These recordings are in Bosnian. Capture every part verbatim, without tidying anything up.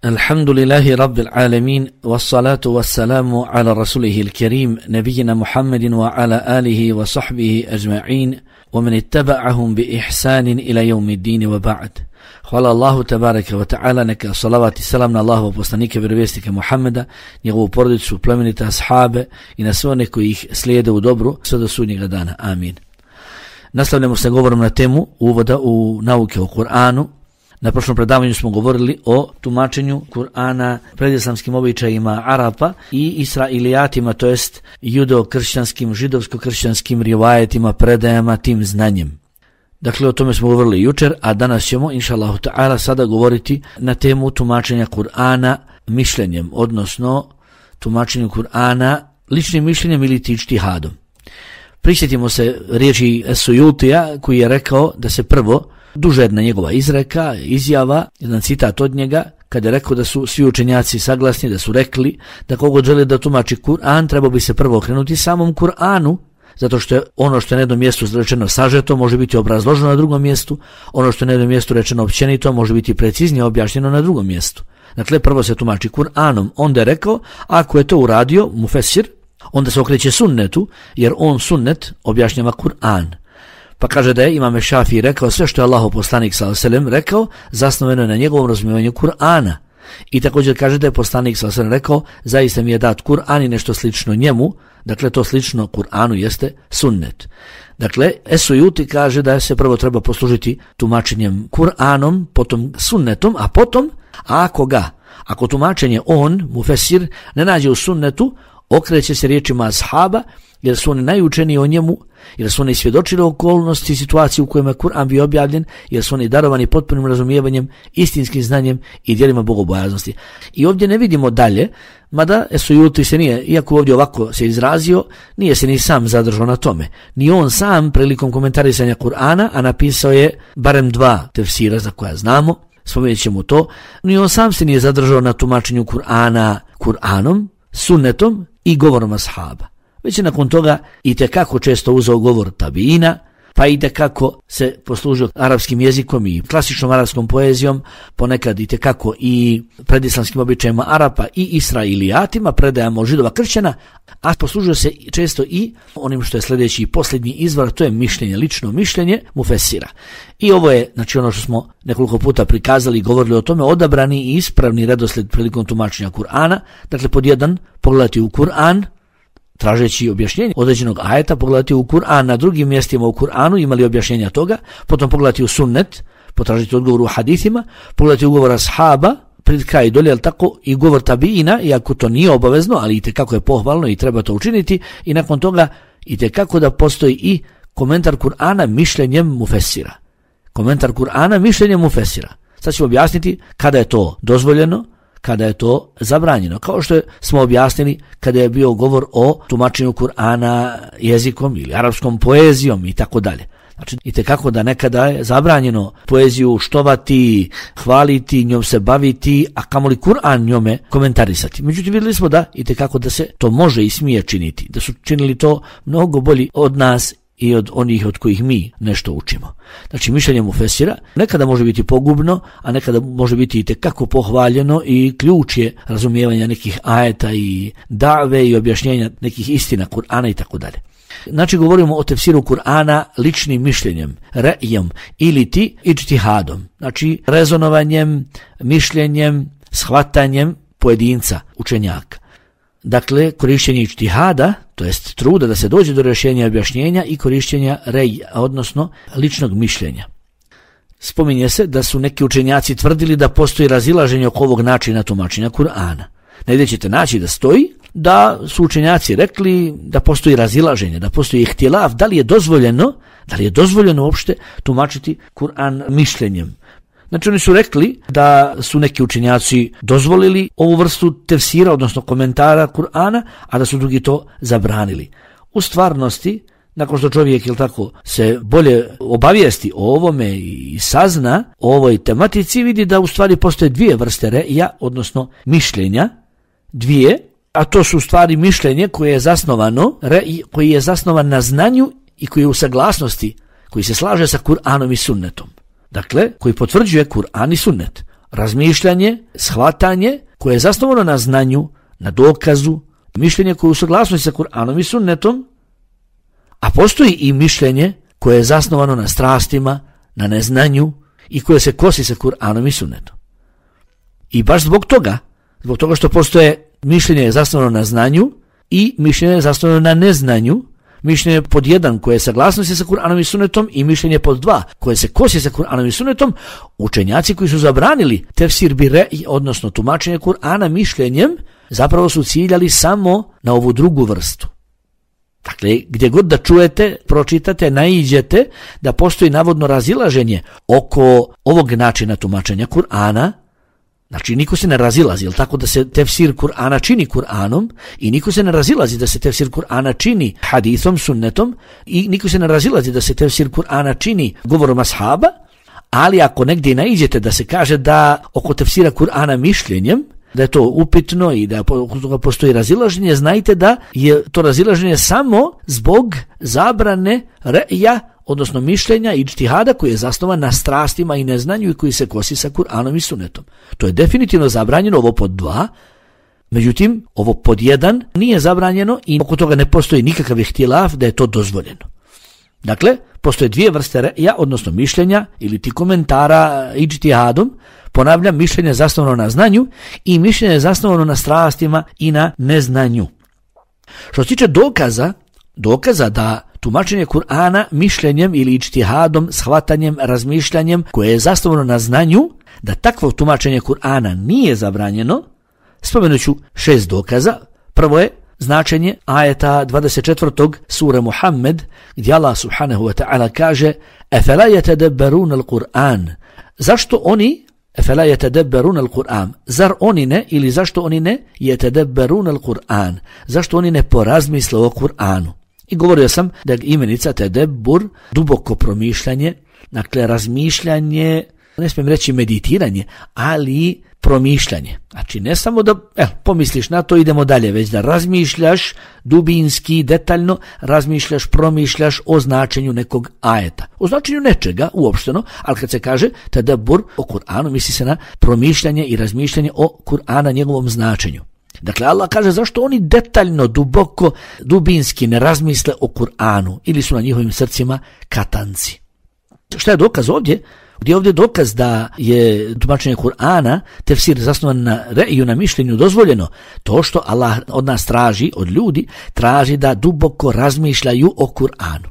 Alhamdulillahi Rabbil Alamin, wassalatu wassalamu ala rasulihil kerim, nabijina Muhammedin wa ala alihi wa sahbihi ajma'in, wa man ittaba'ahum bi ihsanin ila yawmi ddin wa ba'd. Hvala Allahu tabaraka wa ta'ala, neka salavat i salam na Allahov poslanika vjerovjesnika Muhammeda, njegovu porodicu, plemenite ashabe i na sve one koji ih slijede u dobru sve do sudnjega dana. Amin. Nastavljamo se govorom na temu uvoda u nauke o Kur'anu. Na prošlom predavanju smo govorili o tumačenju Kur'ana predislamskim običajima Arapa i Israilijatima, to jest judo-kršćanskim, židovsko-kršćanskim rivajetima, predajama, tim znanjem. Dakle, o tome smo govorili jučer, a danas ćemo, inša Allahu ta'ala, sada govoriti na temu tumačenja Kur'ana mišljenjem, odnosno tumačenju Kur'ana ličnim mišljenjem ili ičtihadom. Prisjetimo se riječi Sujutija koji je rekao da se prvo duže jedna njegova izreka, izjava, jedan citat od njega, kada je rekao da su svi učenjaci saglasni, da su rekli da kogod želi da tumači Kur'an, treba bi se prvo okrenuti samom Kur'anu, zato što je ono što je na jednom mjestu rečeno sažeto može biti obrazloženo na drugom mjestu, ono što je na jednom mjestu rečeno općenito može biti preciznije objašnjeno na drugom mjestu. Dakle, prvo se tumači Kur'anom. Onda je rekao, ako je to uradio mufesir, onda se okreće sunnetu, jer on sunnet objašnjava Kur'an. Pa kaže da je Imam Šafii rekao sve što je Allahov poslanik sallallahu alejhi ve sellem rekao zasnovano je na njegovom razumijevanju Kur'ana. I također kaže da je poslanik sallallahu alejhi ve sellem rekao zaista mi je dat Kur'an i nešto slično njemu, dakle to slično Kur'anu jeste sunnet. Dakle, Esujuti kaže da se prvo treba poslužiti tumačenjem Kur'anom, potom sunnetom, a potom ako ga, ako tumačenje on, mufesir, ne nađe u sunnetu, okreće se riječima ashaba, jer su oni najučeniji o njemu, jer su oni svjedočili okolnosti i situaciji u kojima je Kur'an bio objavljen, jer su oni darovani potpunim razumijevanjem, istinskim znanjem i djelima bogobojaznosti. I ovdje ne vidimo dalje, mada Esujuti se nije, iako ovdje ovako se izrazio, nije se ni sam zadržao na tome. Ni on sam prilikom komentarisanja Kur'ana, a napisao je barem dva tefsira za koja znamo, spomenut ćemo to, ni on sam se nije zadržao na tumačenju Kur'ana Kur'anom, sunnetom i govorom ashaba. Već je nakon toga i tekako često uzeo govor tabiina, pa i tekako se poslužio arapskim jezikom i klasičnom arapskom poezijom, ponekad i tekako i predislamskim običajima Arapa i Israilijatima, predajama židova kršćana, a poslužio se često i onim što je sljedeći i posljednji izvor, to je mišljenje, lično mišljenje mufesira. I ovo je, znači ono što smo nekoliko puta prikazali i govorili o tome, odabrani i ispravni redoslijed prilikom tumačenja Kur'ana. Dakle, pod jedan, pogledati u Kur'an, tražeći objašnjenje određenog ajeta, pogledati u Kur'an, na drugim mjestima u Kur'anu imali objašnjenja toga, potom pogledati u sunnet, potražiti odgovor u hadithima, pogledati u govor ashaba, pred kraj dolje, ali tako i govor tabiina, iako to nije obavezno, ali i tekako je pohvalno i treba to učiniti, i nakon toga i tekako da postoji i komentar Kur'ana mišljenjem mufesira. Komentar Kur'ana mišljenjem mufesira. Sad ćemo objasniti kada je to dozvoljeno, kada je to zabranjeno, kao što smo objasnili kada je bio govor o tumačenju Kur'ana jezikom ili arapskom poezijom i tako dalje. Znači, itekako da nekada je zabranjeno poeziju štovati, hvaliti, njom se baviti, a kamoli Kur'an njome komentarisati. Međutim, vidjeli smo da itekako da se to može i smije činiti, da su činili to mnogo bolji od nas i od onih od kojih mi nešto učimo. Znači, mišljenje mufesira nekada može biti pogubno, a nekada može biti i tekako pohvaljeno i ključ je razumijevanja nekih ajeta i dave i objašnjenja nekih istina Kur'ana i tako dalje. Znači, govorimo o tefsiru Kur'ana ličnim mišljenjem, re'ijom ili ti ičtihadom, znači rezonovanjem, mišljenjem, shvatanjem pojedinca, učenjaka. Dakle, korištenje ičtihada, to jest truda da se dođe do rješenja i objašnjenja, i korištenja rej, odnosno ličnog mišljenja. Spominje se da su neki učenjaci tvrdili da postoji razilaženje oko ovog načina tumačenja Kur'ana. Negdje ćete naći da stoji da su učenjaci rekli da postoji razilaženje, da postoji ihtilaf, da li je dozvoljeno, da li je dozvoljeno uopšte tumačiti Kur'an mišljenjem. Znači, oni su rekli da su neki učenjaci dozvolili ovu vrstu tefsira, odnosno komentara Kur'ana, a da su drugi to zabranili. U stvarnosti, nakon što čovjek, ili tako, se bolje obavijesti o ovome i sazna o ovoj tematici, vidi da u stvari postoje dvije vrste re'ija, odnosno mišljenja, dvije, a to su u stvari mišljenje koje je zasnovano, re'ij koji je zasnovan na znanju i koji je u saglasnosti, koji se slaže sa Kur'anom i sunnetom. Dakle, koji potvrđuje Kur'an i sunnet. razmišljanje, shvatanje koje je zasnovano na znanju, na dokazu, mišljenje koje je u saglasnosti sa Kur'anom i sunnetom, a postoji i mišljenje koje je zasnovano na strastima, na neznanju i koje se kosi sa Kur'anom i sunnetom. I baš zbog toga, zbog toga što postoje mišljenje je zasnovano na znanju i mišljenje je zasnovano na neznanju, mišljenje pod jedan koje je saglasnosti sa Kur'anom i sunnetom i mišljenje pod dva koje se kosi sa Kur'anom i sunnetom, učenjaci koji su zabranili tefsir bi re'i, odnosno tumačenje Kur'ana mišljenjem, zapravo su ciljali samo na ovu drugu vrstu. Dakle, gdje god da čujete, pročitate, naiđete da postoji navodno razilaženje oko ovog načina tumačenja Kur'ana, znači niko se ne razilazi, jel tako da se tefsir Kur'ana čini Kur'anom i niko se ne razilazi da se tefsir Kur'ana čini hadithom, sunnetom i niko se ne razilazi da se tefsir Kur'ana čini govorom ashaba, ali ako negdje naiđete da se kaže da oko tefsira Kur'ana mišljenjem, da je to upitno i da oko toga postoji razilaženje, znajte da je to razilaženje samo zbog zabrane re'ja, odnosno mišljenja i ijtihada koji je zasnovan na strastima i neznanju i koji se kosi sa Kur'anom i sunnetom. To je definitivno zabranjeno, ovo pod dva, međutim, ovo pod jedan nije zabranjeno i oko toga ne postoji nikakav ihtilaf da je to dozvoljeno. Dakle, postoje dvije vrste re'ja, odnosno mišljenja ili ti komentara ijtihadom, ponavljam, mišljenje zasnovano na znanju i mišljenje zasnovano na strastima i na neznanju. Što se tiče dokaza, dokaza da tumačenje Kur'ana mišljenjem ili ijtihadom, shvatanjem, razmišljanjem koje je zasnovano na znanju, da takvo tumačenje Kur'ana nije zabranjeno, spomenut ću šest dokaza. Prvo je značenje ajeta dvadeset četvrtog sure Muhammed, gdje Allah subhanahu wa ta'ala kaže: "Afala yatadabbaruna al-Qur'an?" Zašto oni Afala yatadabbaruna al-Qur'an? Zar oni ne ili zašto oni ne yatadabbaruna al-Qur'an? Zašto oni ne porazmisle o Kur'anu? I govorio sam da je imenica tedebbur duboko promišljanje, dakle razmišljanje, ne smijem reći meditiranje, ali promišljanje. Znači ne samo da eh, pomisliš na to, idemo dalje, već da razmišljaš dubinski, detaljno, razmišljaš, promišljaš o značenju nekog ajeta. O značenju nečega uopšteno, ali kad se kaže tedebbur o Kur'anu, misli se na promišljanje i razmišljanje o Kur'ana, njegovom značenju. Dakle, Allah kaže zašto oni detaljno, duboko, dubinski ne razmisle o Kur'anu ili su na njihovim srcima katanci. Šta je dokaz ovdje? Gdje je ovdje dokaz da je tumačenje Kur'ana, tefsir zasnovan na re'iju, na mišljenju, dozvoljeno? To što Allah od nas traži, od ljudi, traži da duboko razmišljaju o Kur'anu.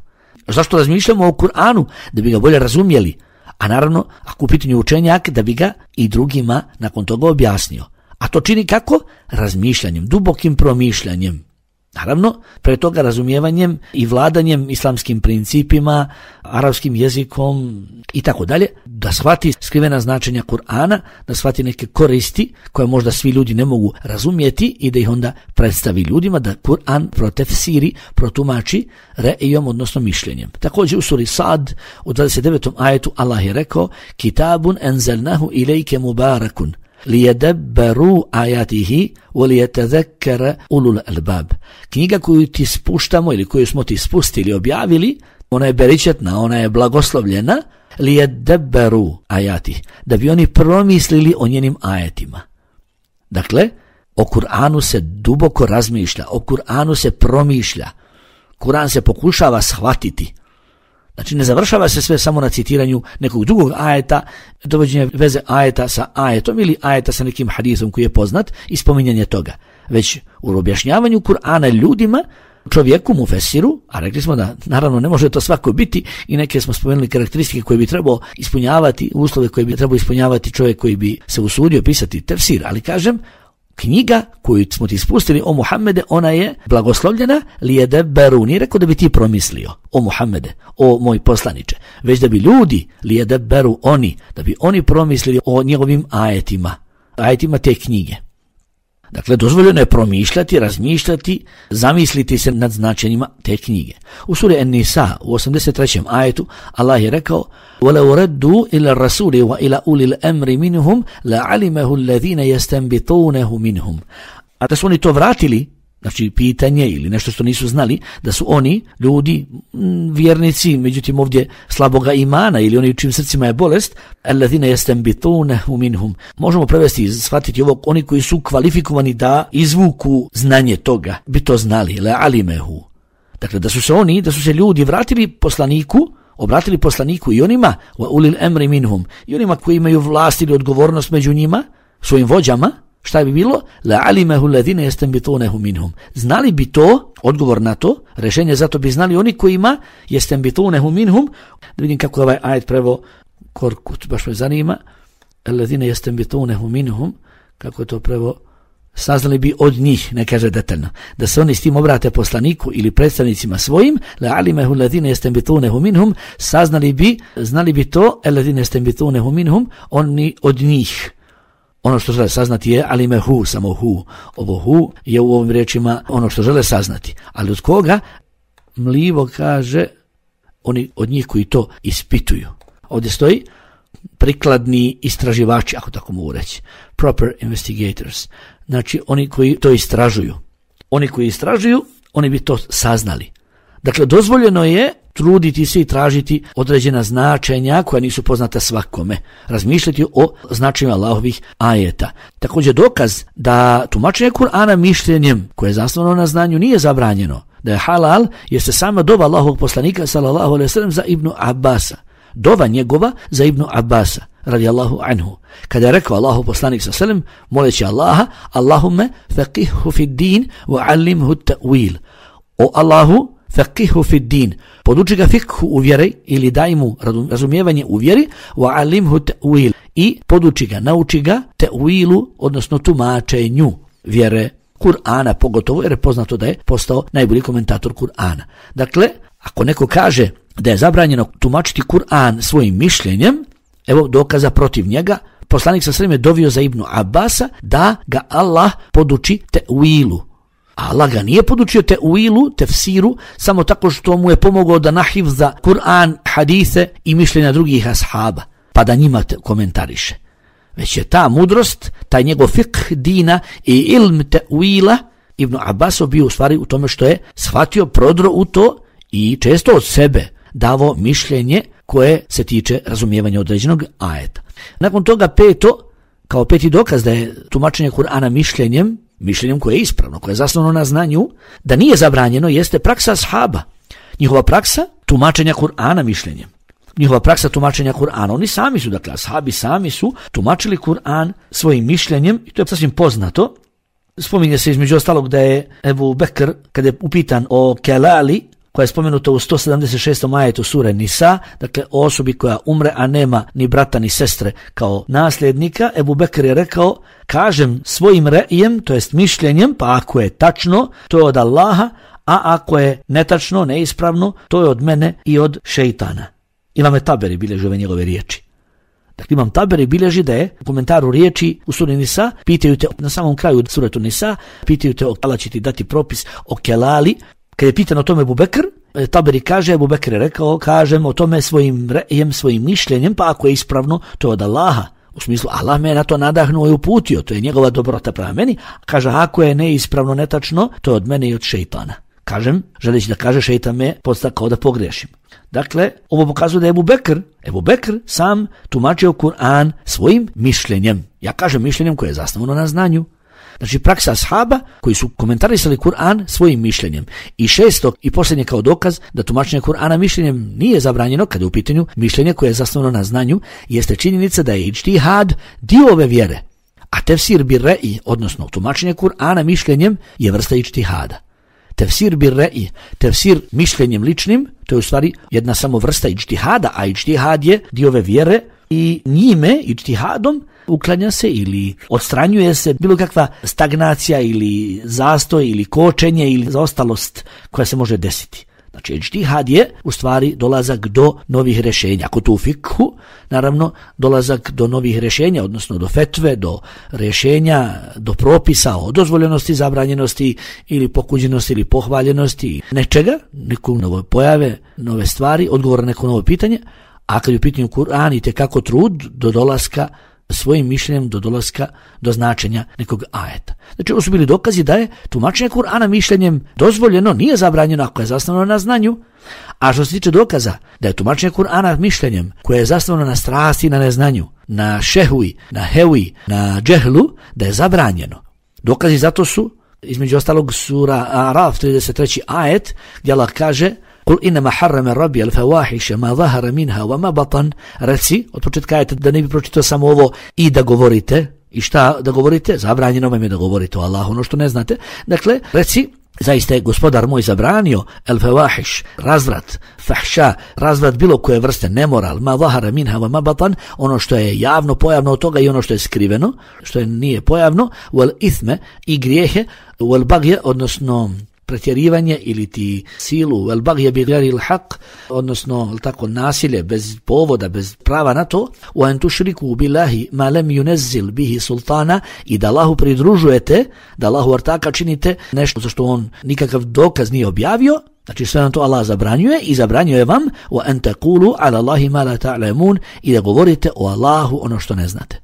Zašto razmišljamo o Kur'anu? Da bi ga bolje razumjeli. A naravno, ako u pitanju učenjak, da bi ga i drugima nakon toga objasnio. A to čini kako? Razmišljanjem, dubokim promišljanjem. Naravno, pre toga razumijevanjem i vladanjem islamskim principima, arapskim jezikom i tako dalje, da shvati skrivena značenja Kur'ana, da shvati neke koristi koje možda svi ljudi ne mogu razumjeti i da ih onda predstavi ljudima, da Kur'an protefsiri, protumači re'ijom, odnosno mišljenjem. Također u suri Sad u dvadeset devetom ajetu Allah je rekao: "Kitabun enzelnahu ilejke mubarakun lijedebberu ajatihi walijetadhekkara ulul albab." Knjiga koju ti spuštamo ili koju smo ti spustili, objavili, ona je beričetna, ona je blagoslovljena, lijedebberu ajatihi, da bi oni promislili o njenim ajetima. Dakle, o Kur'anu se duboko razmišlja, o Kur'anu se promišlja, Kur'an se pokušava shvatiti. Znači ne završava se sve samo na citiranju nekog drugog ajeta, dovođenje veze ajeta sa ajetom ili ajeta sa nekim hadisom koji je poznat i spominjanje toga. Već u objašnjavanju Kur'ana ljudima, čovjeku, mufesiru, a rekli smo da naravno ne može to svako biti i neke smo spomenuli karakteristike koje bi trebao ispunjavati, uslove koje bi trebao ispunjavati čovjek koji bi se usudio pisati tefsir, ali kažem, knjiga koju smo ti spustili o Muhammede, ona je blagoslovljena lijedebberu, nije rekao da bi ti promislio o Muhammede, o moj poslaniče, već da bi ljudi lijedebberu, oni, da bi oni promislili o njegovim ajetima, ajetima te knjige. Dakle, dozvoljeno je promišljati, razmišljati, zamisliti se nad značenjima te knjige. U suri An-Nisa u osamdeset trećem ajetu Allah je rekao: وَلَوْ رَدُّوا إِلَى الرَّسُولِ وَإِلَى أُولِي الْأَمْرِ مِنْهُمْ لَعَلِمَهُ الَّذِينَ يَسْتَنْبِطُونَهُ مِنْهُمْ. A da su oni to vratili, znači pitanje ili nešto što nisu znali, da su oni ljudi m, vjernici, međutim ovdje slaboga imana ili oni u čim srcima je bolest, alladhina yastanbitunahu minhum. Možemo prevesti i shvatiti ovo, oni koji su kvalifikovani da izvuku znanje toga, bi to znali, la alimehu. Dakle, da su se oni, da su se ljudi vratili poslaniku, obratili poslaniku i onima, wa ulil amri minhum, i onima koji imaju vlast ili odgovornost među njima, svojim vođama, šta bi bilo? La alimehu alladhina yastanbitunahu minhum. Znali bi to, odgovor na to, rješenje za to bi znali oni kojima yastanbitunahu minhum. Da vidim kako je ovaj ajet preveo Korkut, baš me zanima. Alladhina yastanbitunahu minhum, kako je to preveo? Saznali bi od njih, ne kaže detaljno, da se oni s tim obrate poslaniku ili predstavnicima svojim, la alimehu alladhina yastanbitunahu minhum, saznali bi, znali bi to, alladhina yastanbitunahu minhum, oni od njih. Ono što žele saznati je alimehu, samo hu. Ovo hu je u ovim riječima ono što žele saznati. Ali od koga? Mlivo kaže oni od njih koji to ispituju. Ovdje stoji prikladni istraživači, ako tako mogu reći. Proper investigators. Znači oni koji to istražuju. Oni koji istražuju, oni bi to saznali. Dakle, dozvoljeno je truditi se i tražiti određena značenja koja nisu poznata svakome. Razmišljati o značenjima Allahovih ajeta. Također dokaz da tumačenje Kur'ana mišljenjem koje je zasnovano na znanju nije zabranjeno. Da je halal jeste sama dova Allahovog poslanika sallallahu alejhi ve sellem za Ibnu Abbasa. Dova njegova za Ibnu Abbasa radijallahu anhu. Kada je rekao Allahov poslanik sallallahu alejhi ve sellem moleći Allaha, Allahumme faqihhu fid din wa allimhu ta'wil. O Allahu, faqihhu fid din, poduči ga fikhu u vjeri ili daj mu razumijevanje u vjeri, wa alimhu ta'wil, i poduči ga, nauči ga ta'wilu, odnosno tumačenju vjere Kur'ana, pogotovo jer je poznato da je postao najbolji komentator Kur'ana. Dakle, ako neko kaže da je zabranjeno tumačiti Kur'an svojim mišljenjem, evo dokaza protiv njega. Poslanik sa sveme dovio za Ibnu Abbasa da ga Allah poduči ta'wilu. Allah ga nije podučio ta'wilu, tefsiru, samo tako što mu je pomogao da nahifza Kur'an, hadise i mišljenja drugih ashaba, pa da njima komentariše. Već je ta mudrost, taj njegov fiqh dina i ilm ta'wila Ibnu Abbasov bio u stvari u tome što je shvatio, prodro u to i često od sebe davo mišljenje koje se tiče razumijevanja određenog ajeta. Nakon toga peto, kao peti dokaz da je tumačenje Kur'ana mišljenjem, mišljenjem koje je ispravno, koje je zasnovano na znanju, da nije zabranjeno, jeste praksa ashaba. Njihova praksa tumačenja Kur'ana mišljenjem. Njihova praksa tumačenja Kur'ana. Oni sami su, dakle, ashabi sami su tumačili Kur'an svojim mišljenjem i to je sasvim poznato. Spominje se između ostalog da je Ebu Bekr, kada je upitan o kelali, koja je spomenuta u sto sedamdeset šestom ajetu sure Nisa, dakle o osobi koja umre, a nema ni brata ni sestre kao nasljednika, Ebu Bekr je rekao, kažem svojim re'ijem, to jest mišljenjem, pa ako je tačno, to je od Allaha, a ako je netačno, neispravno, to je od mene i od šeitana. Imam Taberi bilježi ove njegove riječi. Dakle, Imam Taberi bilježi da je u komentaru riječi u suri Nisa, pitaju te na samom kraju suratu Nisa, pitaju te Allah će ti dati propis o kelali. Kad je pitan o tome Ebu Bekr, Taberi kaže, Ebu Bekr je rekao, kažem o tome svojim rejem, svojim mišljenjem, pa ako je ispravno, to je od Allaha. U smislu, Allah me na to nadahnuo i uputio, to je njegova dobrota prema meni. Kaže, ako je neispravno, netačno, to je od mene i od šeitana. Kažem, želeći da kaže, šeitan me podstakao da pogrešim. Dakle, ovo pokazuje da je Ebu Bekr, Ebu Bekr sam tumačio Kur'an svojim mišljenjem. Ja kažem mišljenjem koje je zasnovano na znanju. Znači praksa ashaba koji su komentarisali Kur'an svojim mišljenjem. I šesto i posljednje kao dokaz da tumačenje Kur'ana mišljenjem nije zabranjeno kada je u pitanju mišljenje koje je zasnovano na znanju, jeste činjenica da je iđtihad dio ove vjere. A tefsir bir re'i, odnosno tumačenje Kur'ana mišljenjem, je vrsta iđtihada. Tefsir bir re'i, tefsir mišljenjem ličnim, to je u stvari jedna samo vrsta iđtihada, a iđtihad je dio ove vjere i njime, iđtihadom, uklanja se ili odstranjuje se bilo kakva stagnacija ili zastoj ili kočenje ili zaostalost koja se može desiti. Znači, iđtihad je u stvari dolazak do novih rješenja. Ako to u fikhu, naravno, dolazak do novih rješenja, odnosno do fetve, do rješenja, do propisa o dozvoljenosti, zabranjenosti ili pokuđenosti ili pohvaljenosti nečega, neko nove pojave, nove stvari, odgovor na neko novo pitanje, a kad je u pitanju Kur'an i tekako trud do dolaska svojim mišljenjem do dolaska do značenja nekog ajeta. Znači, ovo su bili dokazi da je tumačenje Kur'ana mišljenjem dozvoljeno, nije zabranjeno ako je zasnovano na znanju. A što se tiče dokaza da je tumačenje Kur'ana mišljenjem koje je zasnovano na strasti i na neznanju, na šehuji, na hevi, na džehlu, da je zabranjeno. Dokazi zato su, između ostalog, sura Araf trideset treći ajet, gdje Allah kaže: Kul inama harrama rabbi al-fawahisha ma zahara minha wa ma batan. Reci, od početka ajeta, da ne bi pročitao samo ovo i da govorite. I šta da govorite? Zabranjeno vam je da govorite o Allahu, ono što ne znate. Dakle, reci, zaista je gospodar moj zabranio al-fawahish, razvrat, fahša, razvrat bilo koje vrste, nemoral, ma zahara minha wa ma batan, ono što je javno, pojavno od toga i ono što je skriveno, što je nije pojavno, wal ithme, i grijehe, wal bagje, odnosno pretjerivanje ili ti silu, wal bagje bi ghairi al-haq, odnosno tako nasilje bez povoda, bez prava na to, wa an tushriku billahi ma lam yunazzil bihi sultana, i da Allahu pridružujete, da Allahu ortaka činite nešto za što on nikakav dokaz nije objavio. Znači sve nam to Allah zabranjuje i zabranjuje vam wa an taqulu ala Allahi ma la ta'lamun, i da govorite o Allahu ono što ne znate.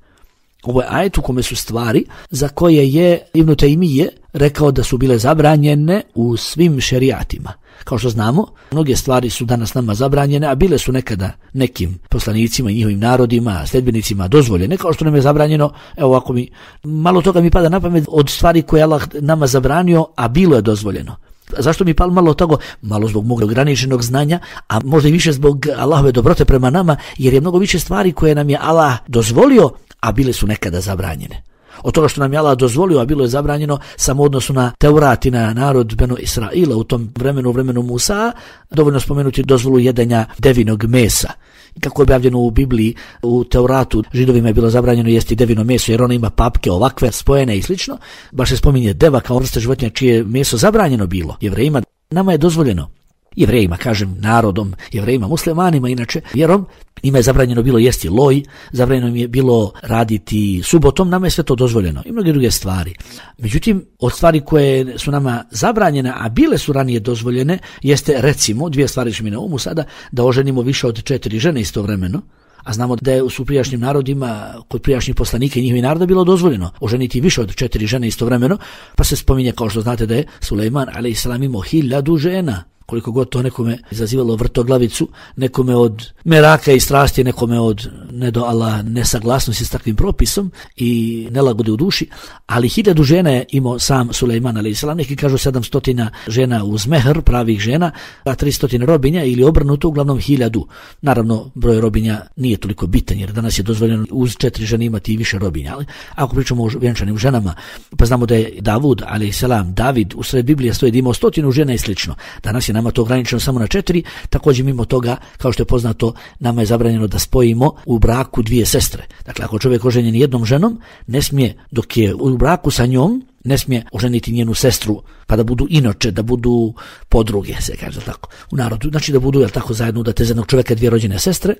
Ovo je ajet u kome su stvari za koje je Ibn Taymije rekao da su bile zabranjene u svim šerijatima. Kao što znamo, mnoge stvari su danas nama zabranjene, a bile su nekada nekim poslanicima i njihovim narodima, sledbenicima dozvoljene, kao što nam je zabranjeno, evo ako mi, malo toga mi pada na pamet od stvari koje Allah nama zabranio, a bilo je dozvoljeno. Zašto mi palo malo toga? Malo zbog mog ograničenog znanja, a možda i više zbog Allahove dobrote prema nama, jer je mnogo više stvari koje nam je Allah dozvolio, a bile su nekada zabranjene. Od toga što nam je Allah dozvolio, a bilo je zabranjeno, samo odnosu na Teurat i na narod Benu Israila u tom vremenu, u vremenu Musa, dovoljno spomenuti dozvolu jedenja devinog mesa. Kako je objavljeno u Bibliji, u Teuratu, Židovima je bilo zabranjeno jesti devino meso, jer ono ima papke ovakve, spojene i slično. Baš se spominje deva kao vrsta životinja čije je meso zabranjeno bilo. Jevrejima, nama je dozvoljeno. Jevrejima, kažem, narodom, jevrejima, muslimanima, inače, vjerom, njima je zabranjeno bilo jesti loj, zabranjeno je bilo raditi subotom, nama je sve to dozvoljeno i mnoge druge stvari. Međutim, od stvari koje su nama zabranjene, a bile su ranije dozvoljene, jeste, recimo, dvije stvari što mi na umu sada, da oženimo više od četiri žene istovremeno. A znamo da je u prijašnjim narodima, kod prijašnjih poslanika i njihovih naroda bilo dozvoljeno oženiti više od četiri žene istovremeno, pa se spominje, kao što znate, da je Sulejman alejselam imao hiljadu žena. Koliko god to nekome izazivalo vrtoglavicu, nekome od meraka i strasti, nekome od ne do Allah nesaglasnosti s takvim propisom i nelagode u duši, ali hiljadu žena je imao sam Sulejman alejselam, neki kažu sedamstotina žena uz mehr, pravih žena, a tristotina robinja ili obrnuto, uglavnom hiljadu. Naravno, broj robinja nije toliko bitan, jer danas je dozvoljeno uz četiri žene imati i više robinja, ali ako pričamo o vjenčanim ženama, pa znamo da je Davud alejselam, David, u sred Biblije stoji da imao stotinu žena i slično. Danas je nama to ograničeno samo na četiri, također mimo toga, kao što je poznato, nama je zabranjeno da spojimo u braku dvije sestre. Dakle, ako čovjek oženjen jednom ženom, ne smije, dok je u braku sa njom, ne smije oženiti njenu sestru, pa da budu inoče, da budu podruge, se kaže tako, u narodu. Znači da budu, jel tako, zajedno da te za jednog čovjeka dvije rođene sestre,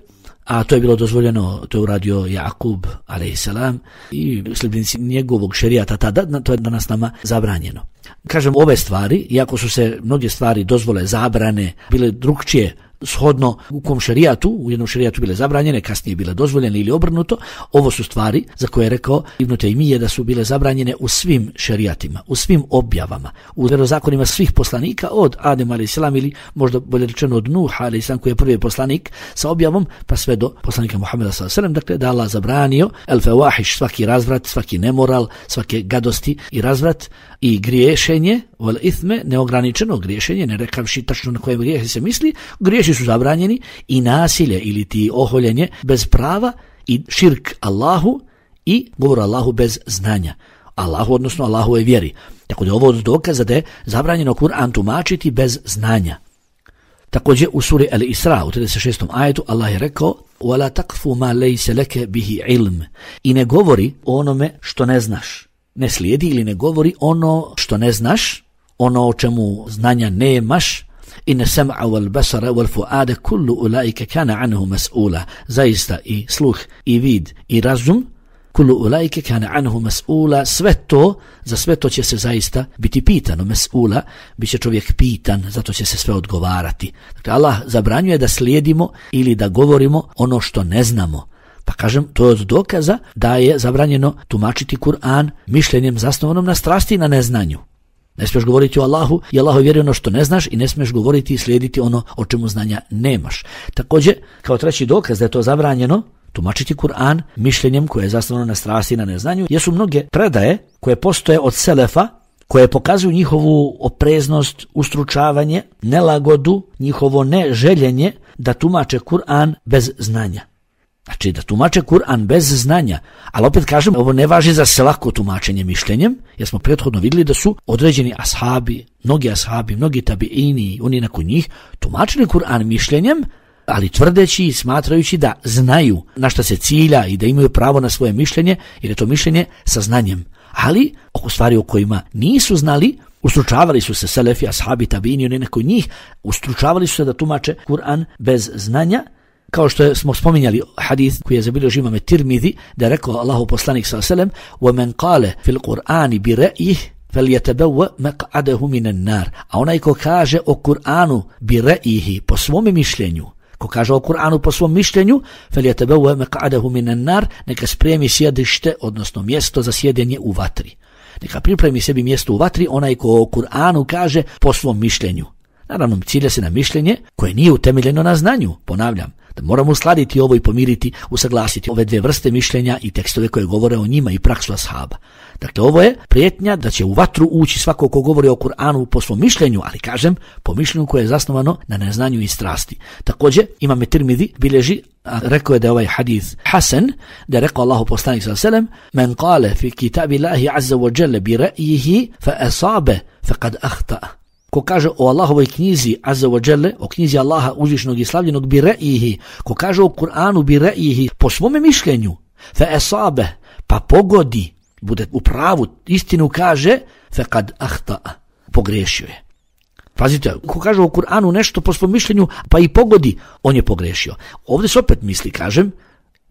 a to je bilo dozvoljeno, to je uradio Jakub alejselam i sljedbenici njegovog šerijata tada, to je danas nama zabranjeno. Kažem, ove stvari, iako su se mnoge stvari dozvole, zabrane, bile drugčije shodno u kom šerijatu, u jednom šerijatu bile zabranjene, kasnije bile dozvoljene ili obrnuto, ovo su stvari za koje je rekao Ibn Taymije da su bile zabranjene u svim šerijatima, u svim objavama, u vjerozakonima svih poslanika od Adem alejselam ili možda bolje rečeno od Nuh alejselam koji je prvi poslanik sa objavom, pa sve do poslanika Muhameda sallallahu alejhi ve sellem, dakle da Allah zabranio el fawahish, svaki razvrat, svaki nemoral, svake gadosti i razvrat i griješenje, wal ithme, neograničeno griješenje, ne rekavši tačno na koje grijehe se misli, griješi su zabranjeni, i nasilje ili ti oholjenje bez prava i širk Allahu i govor Allahu bez znanja. Allahu, odnosno Allahove vjeri. Tako da je ovo od dokaza da je zabranjeno Kur'an tumačiti bez znanja. Također u suri Al-Isra u trideset šestom ajetu Allah je rekao: "Wala taqfu ma laysa laka bihi ilm." I ne govori o onome što ne znaš. Ne slijedi ili ne govori ono što ne znaš, ono o čemu znanja nemaš. Inna sam'a wal basara wal fu'ada kullu ulaika kana anhu mas'ula. Zaista i sluh i vid i razum, kullu ulaika kana anhu mas'ula, sve to, za sve to će se zaista biti pitano. Mas'ula, bit će čovjek pitan, zato će se sve odgovarati. Dakle, Allah zabranjuje da slijedimo ili da govorimo ono što ne znamo. Pa kažem, to je od dokaza da je zabranjeno tumačiti Kur'an mišljenjem zasnovanom na strasti i na neznanju. Ne smiješ govoriti o Allahu i Allahu vjeri ono što ne znaš i ne smiješ govoriti i slijediti ono o čemu znanja nemaš. Također, kao treći dokaz da je to zabranjeno tumačiti Kur'an mišljenjem koje je zasnovano na strasti i na neznanju, jesu mnoge predaje koje postoje od selefa, koje pokazuju njihovu opreznost, ustručavanje, nelagodu, njihovo neželjenje da tumače Kur'an bez znanja. Znači da tumače Kur'an bez znanja, ali opet kažem, ovo ne važi za svako tumačenje mišljenjem, jer smo prethodno vidjeli da su određeni ashabi, mnogi ashabi, mnogi tabiini, oni nakon njih, tumačili Kur'an mišljenjem, ali tvrdeći i smatrajući da znaju na šta se cilja i da imaju pravo na svoje mišljenje, jer je to mišljenje sa znanjem. Ali oko stvari o kojima nisu znali, ustručavali su se selefi, ashabi, tabiini, oni nakon njih, ustručavali su se da tumače Kur'an bez znanja, kao što smo spominjali hadis koji je zabilježio imam Tirmidhi, da je rekao Allahu poslanik sallallahu alejhi ve sellem: "Wa man qala fil Qur'ani bi ra'yihi falyatabawwa maq'adahu minan nar." A onaj ko kaže o Kur'anu bi ra'yihi, po svom mišljenju, ko kaže o Kur'anu po svom mišljenju, falyatabawwa maq'adahu minan nar, neka spremi sjedište, odnosno mjesto za sjedenje u vatri. Neka pripremi sebi mjesto u vatri onaj ko o Kur'anu kaže po svom mišljenju. Naravno, cilja se na mišljenje koje nije utemeljeno na znanju, ponavljam, da moramo uskladiti ovo i pomiriti, usaglasiti ove dvije vrste mišljenja i tekstove koje govore o njima i praksu ashaba. Dakle, ovo je prijetnja da će u vatru ući svako ko govori o Kur'anu po svom mišljenju, ali kažem, po mišljenju koje je zasnovano na neznanju i strasti. Također, imam Tirmidhi bilježi, a rekao je da je ovaj hadis hasan, da je rekao Allahu poslanik sallallahu alejhi ve sellem: "Men qala fi kitabillahi azza wa jalla bi ra'yihi fa asaba faqad akhta'a." Ko kaže o Allahovoj knjizi azza wa jalla, o knjizi Allaha uzvišenog i slavljenog bi ra'yihi, ko kaže o Kur'anu bi ra'yihi po svome mišljenju, fa asaba, pa pogodi, bude u pravu, istinu kaže, faqad akhta'a, pogriješio je. Pazite, ko kaže o Kur'anu nešto po svom mišljenju, pa i pogodi, on je pogrešio. Ovdje se opet misli, kažem,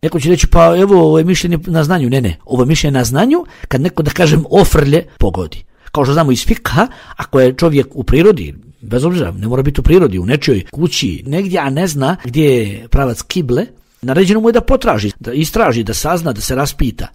neko će reći, pa evo, ovo je mišljenje na znanju. Ne, ne, ovo je mišljenje na znanju, kad neko, da kažem, ofrlje, pogodi. Kao što znamo iz fikha, ako je čovjek u prirodi, bez obzira, ne mora biti u prirodi, u nečijoj kući, negdje, a ne zna gdje je pravac kible, naređeno mu je da potraži, da istraži, da sazna, da se raspita.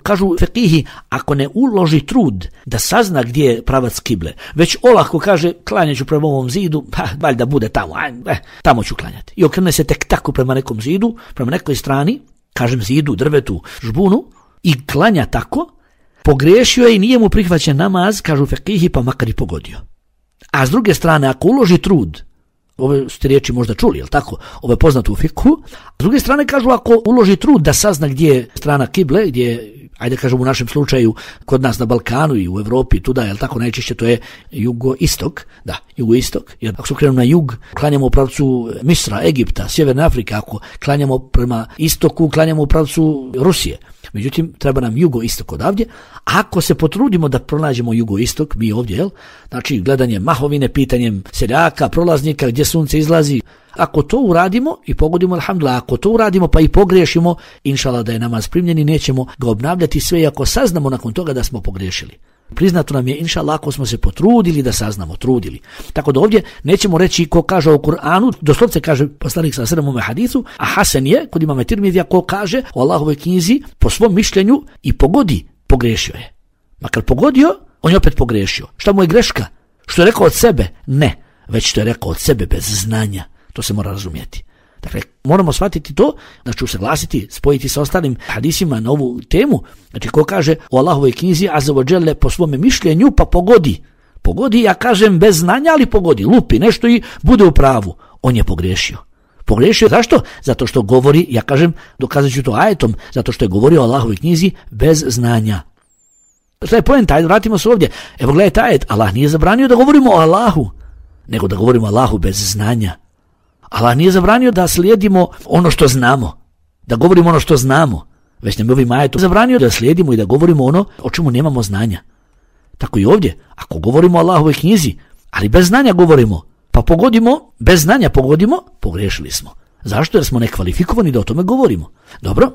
Kažu fekihi, ako ne uloži trud da sazna gdje je pravac kible, već olako kaže, klanjaću prema ovom zidu, pa valjda bude tamo, eh, tamo ću klanjati. I okrene se tek tako prema nekom zidu, prema nekoj strani, kažem zidu, drvetu, žbunu, i klanja tako, pogriješio je i nije mu prihvaćen namaz, kažu fekihi, pa makar i pogodio. A s druge strane, ako uloži trud, ove ste riječi možda čuli, jel tako? Ovo je poznato u fikhu. A s druge strane kažu, ako uloži trud da sazna gdje je strana kible, gdje je, ajde kažemo u našem slučaju, kod nas na Balkanu i u Europi, tuda, jel tako, najčešće to je jugoistok, da, jugoistok, jer ako se krenemo na jug, klanjamo u pravcu Misra, Egipta, Sjeverne Afrike, ako klanjamo prema istoku, klanjamo u pravcu Rusije. Međutim, treba nam jugoistok odavdje. Ako se potrudimo da pronađemo jugoistok, mi ovdje, jel? Znači, gledanje mahovine, pitanjem seljaka, prolaznika, gdje sunce izlazi. Ako to uradimo i pogodimo, alhamdulillah, ako to uradimo pa i pogriješimo, inšallah da je namaz primljen i nećemo ga obnavljati sve, iako saznamo nakon toga da smo pogriješili. Priznato nam je, inšallah, ako smo se potrudili da saznamo, trudili. Tako da ovdje nećemo reći ko kaže o Kur'anu, doslovce kaže poslanik sallallahu alejhi ve sellem u hadisu, a hasan je, kod imama Tirmidija, ko kaže o Allahovoj knjizi po svom mišljenju i pogodi, pogriješio je. Makar pogodio, on je opet pogriješio. Šta mu je greška? Što je rekao od sebe? Ne, već što je rekao od sebe bez znanja. To se mora razumjeti. Dakle, moramo shvatiti to, znači usaglasiti, spojiti sa ostalim hadisima na ovu temu. Znači, ko kaže o Allahovoj knjizi azza wa jalla po svome mišljenju, pa pogodi. Pogodi, ja kažem bez znanja, ali pogodi, lupi nešto i bude u pravu. On je pogriješio. Pogriješio, zašto? Zato što govori, ja kažem, dokazat ću to ajetom, zato što je govorio o Allahovoj knjizi bez znanja. Šta je poenta? Ajde, vratimo se ovdje. Evo gledajte ajet, Allah nije zabranio da govorimo o Allahu, nego da govorimo o Allahu bez znanja. Allah nije zabranio da slijedimo ono što znamo, da govorimo ono što znamo, već nam je ovim ajetom zabranio da slijedimo i da govorimo ono o čemu nemamo znanja. Tako i ovdje, ako govorimo o Allahovoj knjizi, ali bez znanja govorimo, pa pogodimo, bez znanja pogodimo, pogriješili smo. Zašto? Jer smo nekvalifikovani da o tome govorimo. Dobro?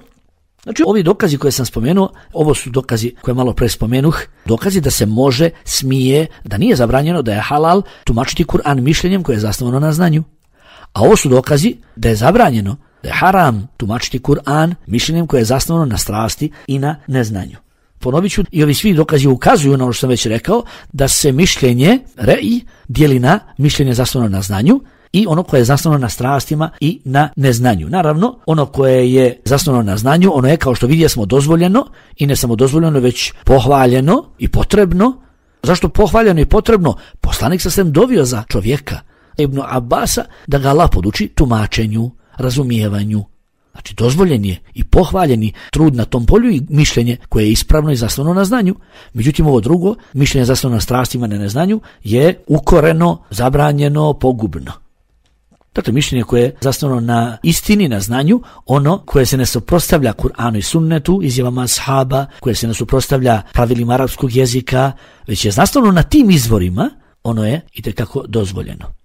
Znači, ovi dokazi koje sam spomenuo, ovo su dokazi koje malo pre spomenuh, dokazi da se može, smije, da nije zabranjeno, da je halal tumačiti Kur'an mišljenjem koje je zasnovano na znanju. A ovo su dokazi da je zabranjeno, Da je haram tumačiti Kur'an mišljenjem koje je zasnovano na strasti i na neznanju. Ponovit ću, i ovi svi dokazi ukazuju na ono što sam već rekao, da se mišljenje re'i dijeli na mišljenje zasnovano na znanju i ono koje je zasnovano na strastima i na neznanju. Naravno, ono koje je zasnovano na znanju, ono je, kao što vidjeli smo, dozvoljeno i ne samo dozvoljeno, već pohvaljeno i potrebno. Zašto pohvaljeno i potrebno? Poslanik sa svem dovio za čovjeka, Ibn Abbasa, da ga Allah poduči tumačenju, razumijevanju. Znači, dozvoljen je i pohvaljeni trud na tom polju i mišljenje koje je ispravno i zasnovano na znanju. Međutim, ovo drugo, mišljenje zasnovano na strastima i na neznanju, je ukoreno, zabranjeno, pogubno. Dakle, mišljenje koje je zasnovano na istini, na znanju, ono koje se ne suprotstavlja Kur'anu i sunnetu, izjavama ashaba, koje se ne suprotstavlja pravilima arapskog jezika, već je zasnovano na tim izvorima, ono je itekako dozvoljeno.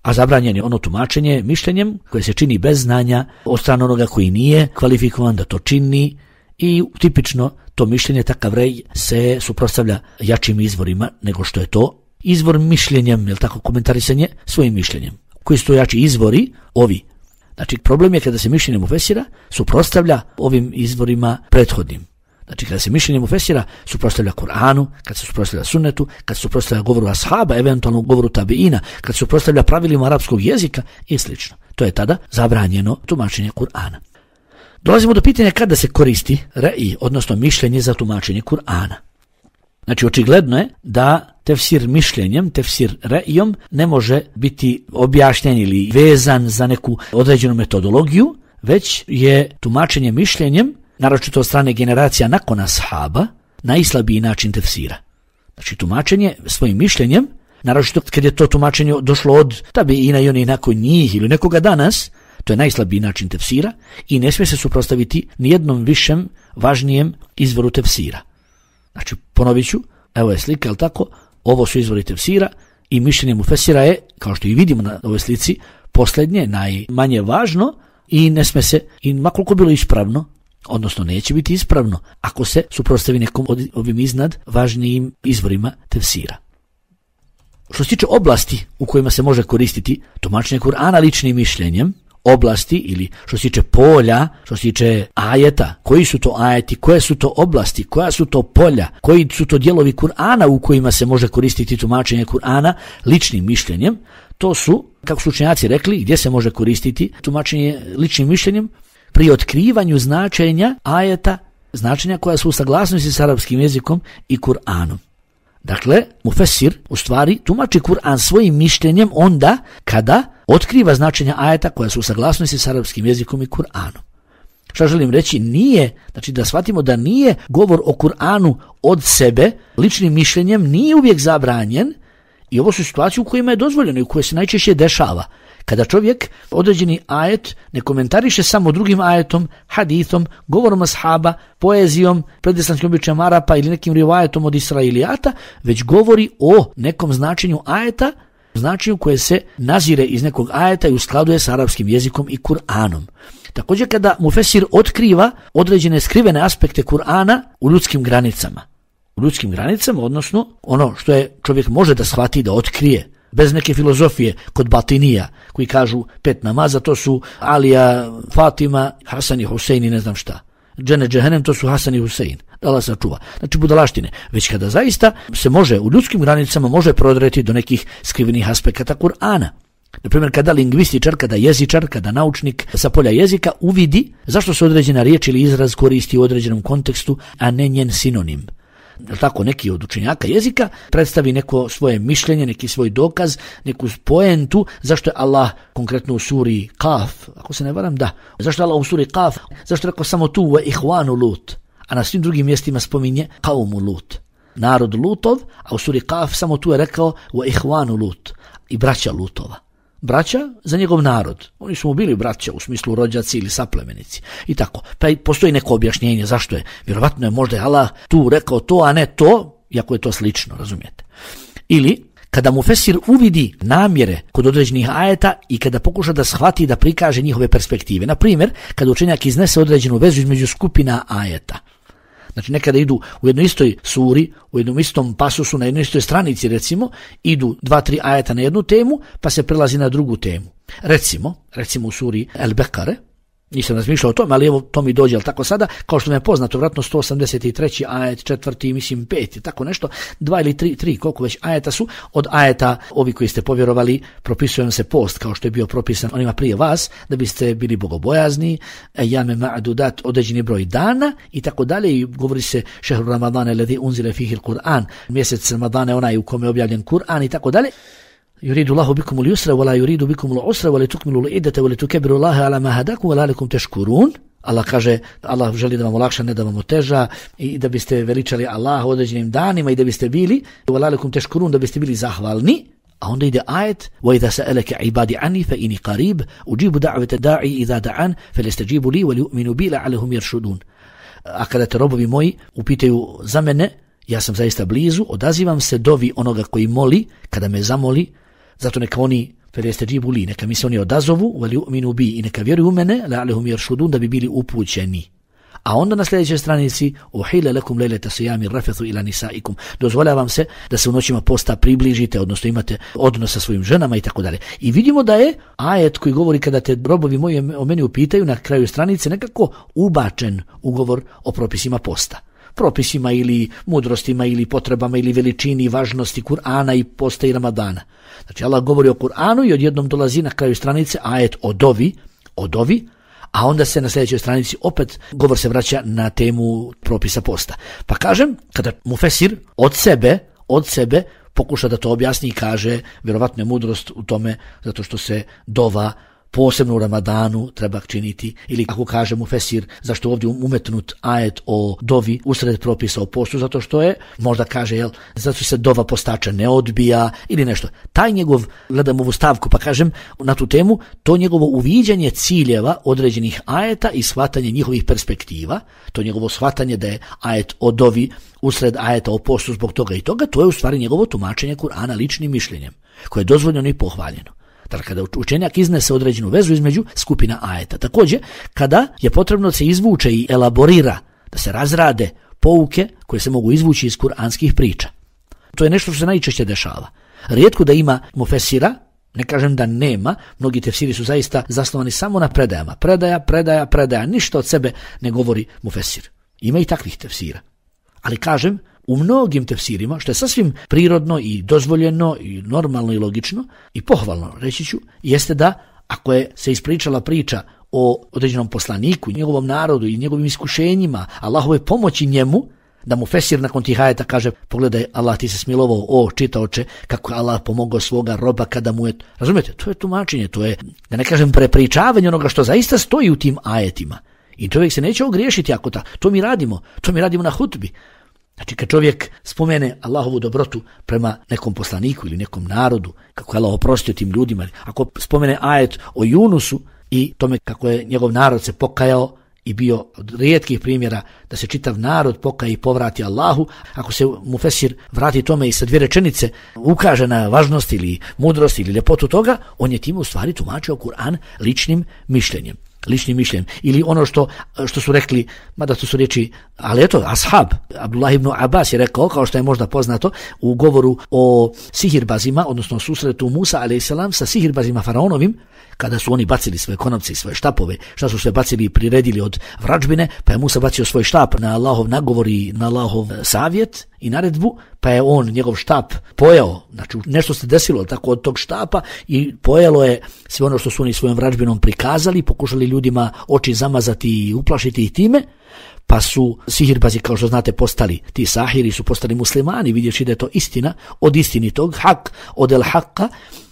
A zabranjeno je ono tumačenje mišljenjem koje se čini bez znanja od strane onoga koji nije kvalifikovan da to čini, i tipično to mišljenje, takav rej, se suprotstavlja jačim izvorima nego što je to izvor mišljenjem, jel tako, komentarisanje svojim mišljenjem. Koji su to jači izvori? Ovi. Znači, problem je kada se mišljenje mufesira suprotstavlja ovim izvorima prethodnim. Znači, kada se mišljenje mufesira suprotstavlja Kur'anu, kad se suprotstavlja sunnetu, kad se suprotstavlja govoru ashaba, eventualno govoru tabiina, kad se suprotstavlja pravilima arapskog jezika i slično. To je tada zabranjeno tumačenje Kur'ana. Dolazimo do pitanja kada se koristi re'i, odnosno mišljenje za tumačenje Kur'ana. Znači, očigledno je da tefsir mišljenjem, tefsir re'ijom ne može biti objašnjen ili vezan za neku određenu metodologiju, već je tumačenje mišljenjem, naročito od strane generacija nakon ashaba, najslabiji način tefsira. Znači, tumačenje svojim mišljenjem, naročito kad je to tumačenje došlo od tabiina i onih nakon njih ili nekoga danas, to je najslabiji način tefsira i ne smije se suprotstaviti nijednom višem, važnijem izvoru tefsira. Znači, ponovit ću, evo je slika, jel tako, ovo su izvori tefsira i mišljenje mufesira je, kao što i vidimo na ovoj slici, posljednje, najmanje važno i ne sme se, i makoliko bilo ispravno, odnosno neće biti ispravno, ako se suprotstavi nekom od ovim iznad važnijim izvorima tefsira. Što se tiče oblasti u kojima se može koristiti tumačenje Kur'ana ličnim mišljenjem, oblasti ili što se tiče polja, što se tiče ajeta, koji su to ajeti, koje su to oblasti, koja su to polja, koji su to dijelovi Kur'ana u kojima se može koristiti tumačenje Kur'ana ličnim mišljenjem, to su, kako su učenjaci rekli, gdje se može koristiti tumačenje ličnim mišljenjem, pri otkrivanju značenja ajeta, značenja koja su u saglasnosti s arapskim jezikom i Kur'anom. Dakle, mufesir u stvari tumači Kur'an svojim mišljenjem onda kada otkriva značenja ajeta koja su u saglasnosti s arapskim jezikom i Kur'anom. Šta želim reći? Nije, znači da shvatimo da nije govor o Kur'anu od sebe, ličnim mišljenjem, nije uvijek zabranjen, i ovo su situacije u kojima je dozvoljeno i u koje se najčešće dešava. Kada čovjek određeni ajet ne komentariše samo drugim ajetom, hadithom, govorom ashaba, poezijom, predislanskim običajem Arapa ili nekim rivajetom od Israilijata, već govori o nekom značenju ajeta, značenju koje se nazire iz nekog ajeta i uskladuje s arapskim jezikom i Kur'anom. Također kada mufesir otkriva određene skrivene aspekte Kur'ana u ljudskim granicama. U ljudskim granicama, odnosno ono što je čovjek može da shvati, da otkrije, bez neke filozofije kod batinija, koji kažu pet namaza, to su Alija, Fatima, Hasan i Husein i ne znam šta. Džene džehenem, to su Hasan i Husein. Da Allah sačuva. Znači budalaštine. Već kada zaista se može u ljudskim granicama može prodreti do nekih skrivenih aspekata Kur'ana. Naprimjer, kada lingvističar, kada jezičar, kada naučnik sa polja jezika uvidi zašto se određena riječ ili izraz koristi u određenom kontekstu, a ne njen sinonim. Tako, neki od učenjaka jezika predstavi neko svoje mišljenje, neki svoj dokaz, neku poentu, zašto je Allah konkretno u suri Kaf, ako se ne varam, da, zašto je Allah u suri Kaf, zašto je rekao samo tu wa ihvanu Lut, a na svim drugim mjestima spominje kaumu Lut, narod Lutov, a u suri Kaf samo tu je rekao wa ihvanu Lut, i braća Lutova. Braća za njegov narod. Oni su mu bili braća u smislu rođaci ili saplemenici. I tako. Pa postoji neko objašnjenje zašto je. Vjerovatno je možda je Allah tu rekao to, a ne to, iako je to slično, razumijete. Ili kada mufesir uvidi namjere kod određenih ajeta i kada pokuša da shvati da prikaže njihove perspektive. Na primjer, kada učenjak iznese određenu vezu između skupina ajeta. Znači nekada idu u jednoj istoj suri, u jednom istom pasusu, na jednoj istoj stranici recimo, idu dva, tri ajeta na jednu temu, pa se prelazi na drugu temu. Recimo, recimo u suri El-Bekare, nisam razmišljao o tome, ali evo to mi dođe, ali tako sada, kao što mi je poznato, vratno sto osamdeset treći ajet, četvrti, mislim peti, tako nešto, dva ili tri, tri, koliko već ajeta su, od ajeta, ovi koji ste povjerovali, propisujem se post, kao što je bio propisan onima prije vas, da biste bili bogobojazni, jame ma'dudat, određeni broj dana, i tako dalje, i govori se šehru Ramadane, ledi unzile fihil Kur'an, mjesec Ramadane, onaj u kome je objavljen Kur'an, i tako dalje. يريد الله بكم اليسر ولا يريد بكم العسر ولتكملوا العدة ولتكبروا الله على ما هداكم ولعلكم تشكرون. Allah kaže, Allah želi da vam olakša, ne da vam oteža, i da biste veličali Allah određenim danima i da biste bili وَلَعَلَكُمْ تَشْكُرُونَ, da biste bili zahvalni. A onda ide ajet وَإِذَا سَأَلَكَ عِبَادِ عَنِّي فَإِنِي قَرِيبٌ أُجِيبُ دَعْوَةَ الدَّاعِ إِذَا دَعَانِ فَلْيَسْتَجِيبُوا لِي وَلْيُؤْمِنُوا بِي لَعَلَّهُمْ يَرْشُدُونَ. A kada te robovi moji upitaju za mene, ja sam zaista blizu, odazivam se dovi onoga koji moli, kada me zamoli. Zato neka oni felestajibu li, neka mi se oni odazovu, veli u'minu bi, i neka vjeruju u mene, la'alehum yarshudun, da bi bili upućeni. A onda na sljedećoj stranici uhila lakum laylata siyami rafathu ila nisaikum, dozvoljavam se da se u noćima posta približite, odnosno imate odnos sa svojim ženama i tako dalje. I vidimo da je ajet koji govori kada te robovi moji o meni upitaju na kraju stranice nekako ubačen ugovor o propisima posta. Propisima ili mudrostima ili potrebama ili veličini i važnosti Kur'ana i posta i Ramadana. Znači Allah govori o Kur'anu i odjednom dolazi na kraju stranice ajet o dovi, o dovi, a onda se na sljedećoj stranici opet govor se vraća na temu propisa posta. Pa kažem, kada mufesir od sebe, od sebe pokuša da to objasni i kaže, vjerovatno je mudrost u tome zato što se dova posebno u Ramadanu treba činiti, ili ako kaže mufesir zašto ovdje umetnut ajet o dovi usred propisa o postu, zato što je, možda kaže, jel, zato se dova postača ne odbija ili nešto. Taj njegov, gledam ovu stavku pa kažem na tu temu, to njegovo uviđanje ciljeva određenih ajeta i shvatanje njihovih perspektiva, to njegovo shvatanje da je ajet o dovi usred ajeta o postu zbog toga i toga, to je u stvari njegovo tumačenje Kur'ana ličnim mišljenjem, koje je dozvoljeno i pohvaljeno. Dakle, kada učenjak iznese određenu vezu između skupina ajeta. Također, kada je potrebno da se izvuče i elaborira, da se razrade pouke koje se mogu izvući iz kuranskih priča. To je nešto što se najčešće dešava. Rijetko da ima mufesira, ne kažem da nema, mnogi tefsiri su zaista zasnovani samo na predajama. Predaja, predaja, predaja, ništa od sebe ne govori mufesir. Ima i takvih tefsira. Ali kažem, u mnogim tefsirima, što je sasvim prirodno i dozvoljeno i normalno i logično i pohvalno, reći ću, jeste da ako je se ispričala priča o određenom poslaniku, njegovom narodu i njegovim iskušenjima, Allahove pomoći njemu, da mu fesir nakon tih ajeta kaže, pogledaj, Allah ti se smilovao, o čitaoče, kako je Allah pomogao svoga roba kada mu je, razumijete, to je tumačenje, to je, da ne kažem, prepričavanje onoga što zaista stoji u tim ajetima. I čovjek se neće ogriješiti ako ta, to mi radimo, to mi radimo na hutbi. Znači kad čovjek spomene Allahovu dobrotu prema nekom poslaniku ili nekom narodu, kako je Allah oprostio tim ljudima, ako spomene ajet o Junusu i tome kako je njegov narod se pokajao i bio od rijetkih primjera da se čitav narod pokaje i povrati Allahu, ako se mufesir vrati tome i sa dvije rečenice ukaže na važnost ili mudrost ili ljepotu toga, on je time u stvari tumačio Kur'an ličnim mišljenjem. ličnim mišljenjem. Ili ono što, što su rekli, mada to su riječi, ali eto, ashab, Abdullah ibn Abbas je rekao, kao što je možda poznato, u govoru o sihirbazima, odnosno susretu Musa alejhi selam sa sihirbazima faraonovim, kada su oni bacili svoje konopce i svoje štapove, šta su sve bacili i priredili od vrađbine, pa je Musa bacio svoj štap na Allahov nagovor i na Allahov savjet i naredbu, pa je on njegov štap pojao, znači nešto se desilo tako od tog štapa i pojelo je sve ono što su oni svojom vrađbinom prikazali, pokušali ljudima oči zamazati i uplašiti ih time, pa su sihirbazi, kao što znate, postali, ti sahiri su postali muslimani, vidjeći da je to istina od istinitog, hak od el haka,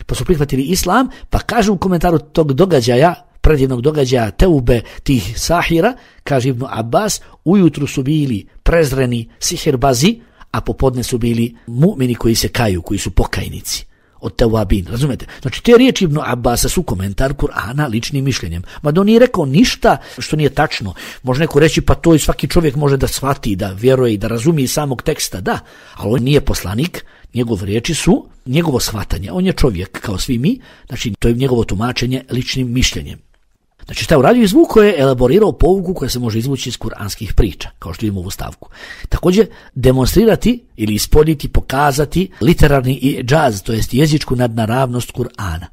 pa su prihvatili islam, pa kažu u komentaru tog događaja, predivnog događaja teube tih sahira, kaže Ibn Abbas, ujutru su bili prezreni sihirbazi, a popodne su bili mu'mini koji se kaju, koji su pokajnici od tewabin, razumete? Znači te riječi Ibn Abbasa su komentar Kur'ana ličnim mišljenjem. Mada on nije rekao ništa što nije tačno. Može neko reći pa to i svaki čovjek može da shvati, da vjeruje i da razumije samog teksta, da, ali on nije poslanik, njegove riječi su njegovo shvatanje. On je čovjek kao svi mi, znači to je njegovo tumačenje ličnim mišljenjem. Znači šta je uradio? Izvuko je, elaborirao pouku koja se može izvući iz kuranskih priča, kao što vidimo u ovu stavku. Također demonstrirati ili ispoditi, pokazati literarni idžaz, to jest jezičku nadnaravnost Kur'ana.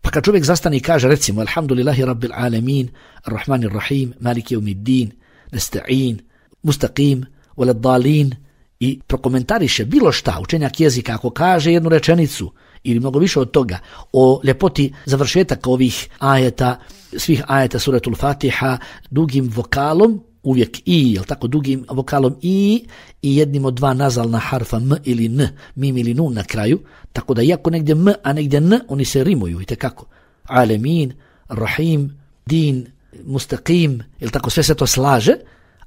Pa kad čovjek zastane i kaže recimo Alhamdulillahi Rabbil Alamin, Ar-Rahmanir Rahim, Maliki Yawmiddin, Nasta'in, Mustaqim, Waladdallin i prokomentariše bilo šta, učenjak jezika ako kaže jednu rečenicu ili mnogo više od toga o ljepoti završetaka ovih ajeta, svih ajeta suratul Fatiha dugim vokalom, uvijek i, jel tako, dugim vokalom i i jednim od dva nazalna harfa m ili n, mim ili nun na kraju, tako da iako negdje m, a negdje n, oni se rimuju i tekako. Alemin, Rahim, Din, Mustaqim, jel tako, sve se to slaže.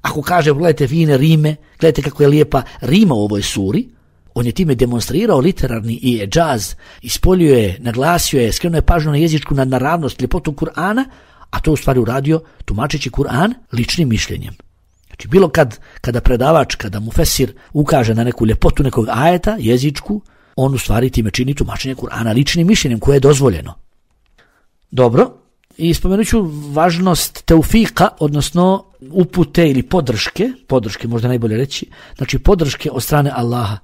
Ako kaže, gledajte fine rime, gledajte kako je lijepa rima u ovoj suri, on je time demonstrirao literarni i džaz, ispoljio je, naglasio je, skrenuo je pažnju na jezičku nadnaravnost, ljepotu Kur'ana, a to u stvari uradio tumačeći Kur'an ličnim mišljenjem. Znači bilo kad, kada predavač, kada mufesir ukaže na neku ljepotu nekog ajeta, jezičku, on u stvari time čini tumačenje Kur'ana ličnim mišljenjem koje je dozvoljeno. Dobro, i spomenut ću važnost teufika, odnosno upute ili podrške, podrške možda najbolje reći, znači podrške od strane Allaha.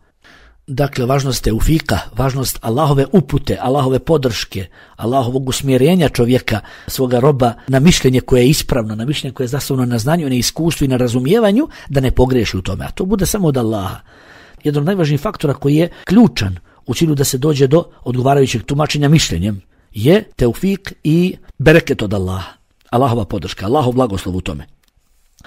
Dakle, važnost teufika, važnost Allahove upute, Allahove podrške, Allahovog usmjerenja čovjeka, svoga roba na mišljenje koje je ispravno, na mišljenje koje je zasnovano na znanju, na iskustvu i na razumijevanju, da ne pogreši u tome. A to bude samo od Allaha. Jedan od najvažnijih faktora koji je ključan u cilju da se dođe do odgovarajućeg tumačenja mišljenjem je teufik i bereket od Allaha. Allahova podrška, Allahov blagoslov u tome.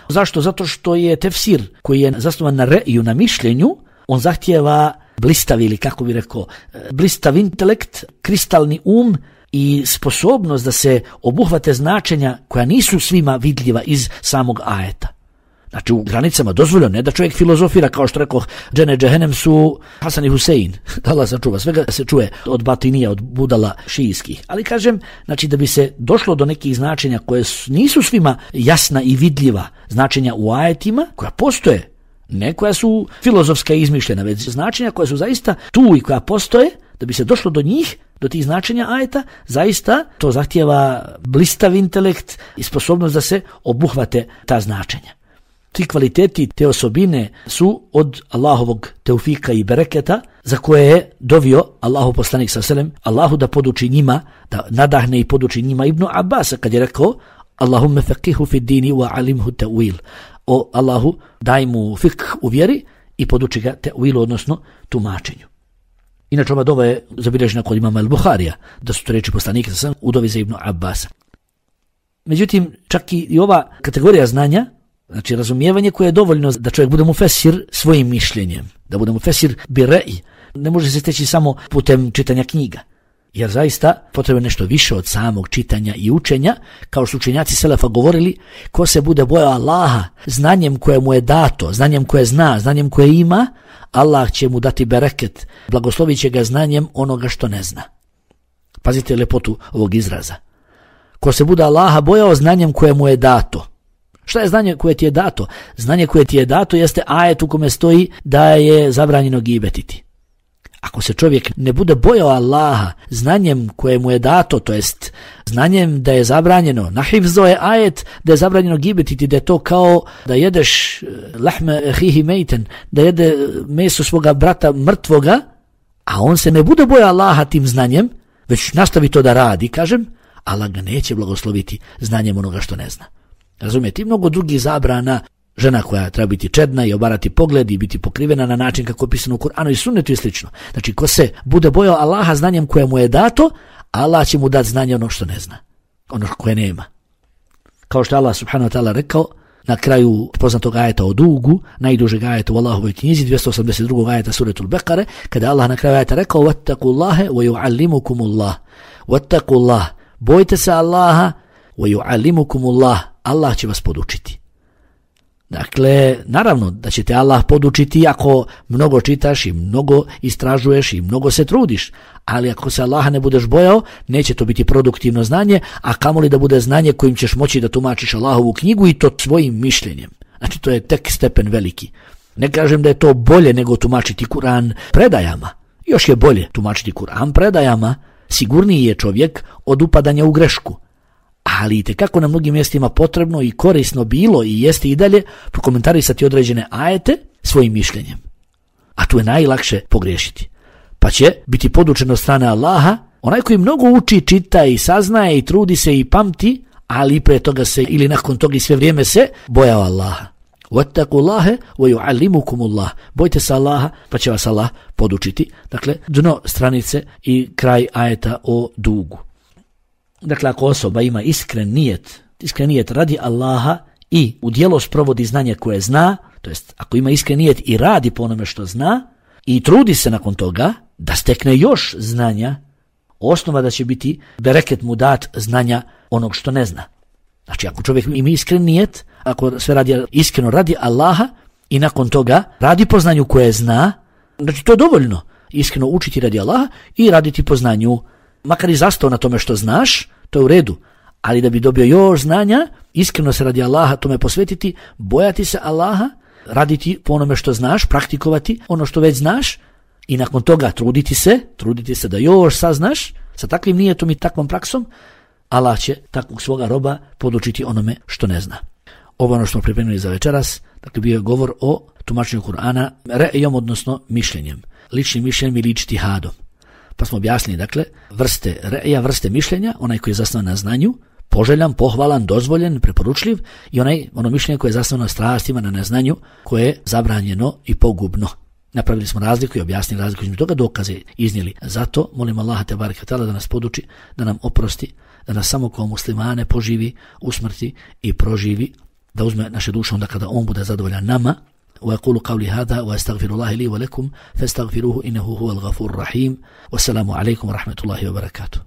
Zašto? Zato što je tefsir koji je zasnovan na re'iju, na mišljenju, on zahtijeva blistav ili kako bi rekao, blistav intelekt, kristalni um i sposobnost da se obuhvate značenja koja nisu svima vidljiva iz samog ajeta. Znači u granicama dozvoljeno, ne da čovjek filozofira kao što rekao, džene džehenem su Hasan i Husein, da Allah sačuva, svega se čuje od batinija, od budala šijskih. Ali kažem, znači da bi se došlo do nekih značenja koje nisu svima jasna i vidljiva, značenja u ajetima koja postoje, ne koja su filozofska i izmišljena, već značenja koja su zaista tu i koja postoje, da bi se došlo do njih, do tih značenja ajeta, zaista to zahtijeva blistav intelekt i sposobnost da se obuhvate ta značenja. Ti kvaliteti, te osobine su od Allahovog teufika i bereketa za koje je dovio Allahu poslanik sallallahu alejhi ve sellem, Allahu da poduči njima, da nadahne i poduči njima Ibnu Abasa kad je rekao Allahumme faqihu fi dini wa alimhu ta'wil. O Allahu, daj mu fik u vjeri i poduči ga ta'wilu, odnosno tumačenju. Inače ova dova je zabilježena kod imama al-Buharija, da su to reči poslanika sallallahu alejhi ve sellem u dovi za Ibnu Abasa. Međutim, čak i ova kategorija znanja, znači razumijevanje koje je dovoljno da čovjek bude mufesir svojim mišljenjem, da bude mufesir bi re'i, ne može se steći samo putem čitanja knjiga. Jer zaista potrebno je nešto više od samog čitanja i učenja, kao što učenjaci selefa govorili, ko se bude bojao Allaha znanjem koje mu je dato, znanjem koje zna, znanjem koje ima, Allah će mu dati bereket, blagoslovit će ga znanjem onoga što ne zna. Pazite lepotu ovog izraza. Ko se bude Allaha bojao znanjem koje mu je dato. Šta je znanje koje ti je dato? Znanje koje ti je dato jeste ajet u kome stoji da je zabranjeno gibetiti. Ako se čovjek ne bude bojao Allaha znanjem koje mu je dato, to jest znanjem da je zabranjeno, nahifzo je ajet da je zabranjeno gibetiti, da je to kao da jedeš lahme hihi mejten, da jede meso svoga brata mrtvoga, a on se ne bude bojao Allaha tim znanjem, već nastavi to da radi, kažem, Allah ga neće blagosloviti znanjem onoga što ne zna. Razumijete, i mnogo drugih zabrana, žena koja treba biti čedna i obarati pogled i biti pokrivena na način kako je pisano u Kur'anu i sunnetu i slično. Znači, ko se bude bojao Allaha znanjem koje mu je dato, Allah će mu dati znanje ono što ne zna, ono koje nema. Kao što Allah subhanahu wa ta'ala rekao na kraju poznatog ajeta o dugu, najdužeg ajeta u Allahovoj knjizi, dvjesto osamdeset drugog ajeta suretul Bekare, kada Allah na kraju ajeta rekao wattaqullaha wa yu'allimukumullah. Wattaqullah, bojte se Allaha wa yu'allimukumullah, Allah će vas podučiti. Dakle, naravno da će te Allah podučiti ako mnogo čitaš i mnogo istražuješ i mnogo se trudiš, ali ako se Allaha ne budeš bojao, neće to biti produktivno znanje, a kamoli da bude znanje kojim ćeš moći da tumačiš Allahovu knjigu i to svojim mišljenjem. Znači, to je tek stepen veliki. Ne kažem da je to bolje nego tumačiti Kur'an predajama. Još je bolje tumačiti Kur'an predajama, sigurniji je čovjek od upadanja u grešku. ali itekako na mnogim mjestima potrebno i korisno bilo i jeste i dalje prokomentarisati određene ajete svojim mišljenjem. A tu je najlakše pogriješiti. Pa će biti podučen od strane Allaha onaj koji mnogo uči, čita i saznaje i trudi se i pamti, ali pre toga se ili nakon toga i sve vrijeme se bojao Allaha. Wattaqullaha wa yu'allimukumullah. Bojte se Allaha, pa će vas Allah podučiti. Dakle, dno stranice i kraj ajeta o dugu. Dakle, ako osoba ima iskren nijet, iskren nijet radi Allaha i u djelo sprovodi znanje koje zna, to jest ako ima iskren nijet i radi po onome što zna i trudi se nakon toga da stekne još znanja, osnova da će biti bereket mu dat znanja onog što ne zna. Znači, ako čovjek ima iskren nijet, ako sve radi iskreno radi Allaha i nakon toga radi po znanju koje zna, znači to je dovoljno. Iskreno učiti radi Allaha i raditi po znanju, makar i zastao na tome što znaš, to je u redu. Ali da bi dobio još znanja, iskreno se radi Allaha tome posvetiti, bojati se Allaha, raditi po onome što znaš, praktikovati ono što već znaš i nakon toga truditi se, truditi se da još saznaš, sa takvim nijetom i takvom praksom, Allah će takvog svoga roba podučiti onome što ne zna. Ovo ono što smo pripremili za večeras, dakle bio je govor o tumačenju Kur'ana re'ijom, odnosno mišljenjem, ličnim mišljenjem ili ijtihadom. Pa smo objasnili, dakle, vrste re'ija, vrste mišljenja, onaj koji je zasnovan na znanju, poželjan, pohvalan, dozvoljen, preporučljiv i onaj, ono mišljenje koje je zasnovano na strastima, na neznanju, koje je zabranjeno i pogubno. Napravili smo razliku i objasnili razliku između toga, dokaze iznijeli. Zato molim Allaha te bareke ve taala da nas poduči, da nam oprosti, da nas samo kao muslimane poživi, usmrti i proživi, da uzme naše duše onda kada on bude zadovoljan nama. وأقول قولي هذا وأستغفر الله لي ولكم فاستغفروه إنه هو الغفور الرحيم والسلام عليكم ورحمة الله وبركاته.